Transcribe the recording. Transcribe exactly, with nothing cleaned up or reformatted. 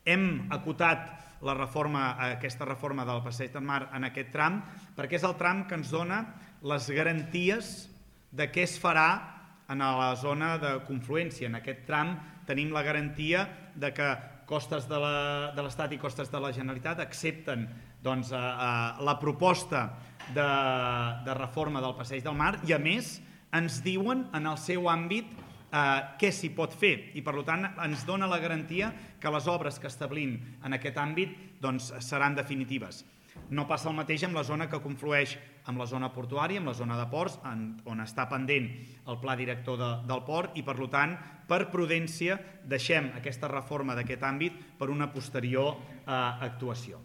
Hem acotat la reforma, aquesta reforma del Passeig del Mar en aquest tram perquè és el tram que ens dona les garanties de què es farà en la zona de confluència. En aquest tram tenim la garantia de que costes de l'Estat i costes de la Generalitat accepten doncs, a, a, la proposta de, de reforma del Passeig del Mar i, a més, ens diuen en el seu àmbit eh, què s'hi pot fer i, per tant, ens dona la garantia que les obres que establim en aquest àmbit doncs, seran definitives. No passa el mateix amb la zona que conflueix amb la zona portuària, amb la zona de ports, en, on està pendent el pla director de, del port i, per tant, per prudència, deixem aquesta reforma d'aquest àmbit per una posterior eh, actuació.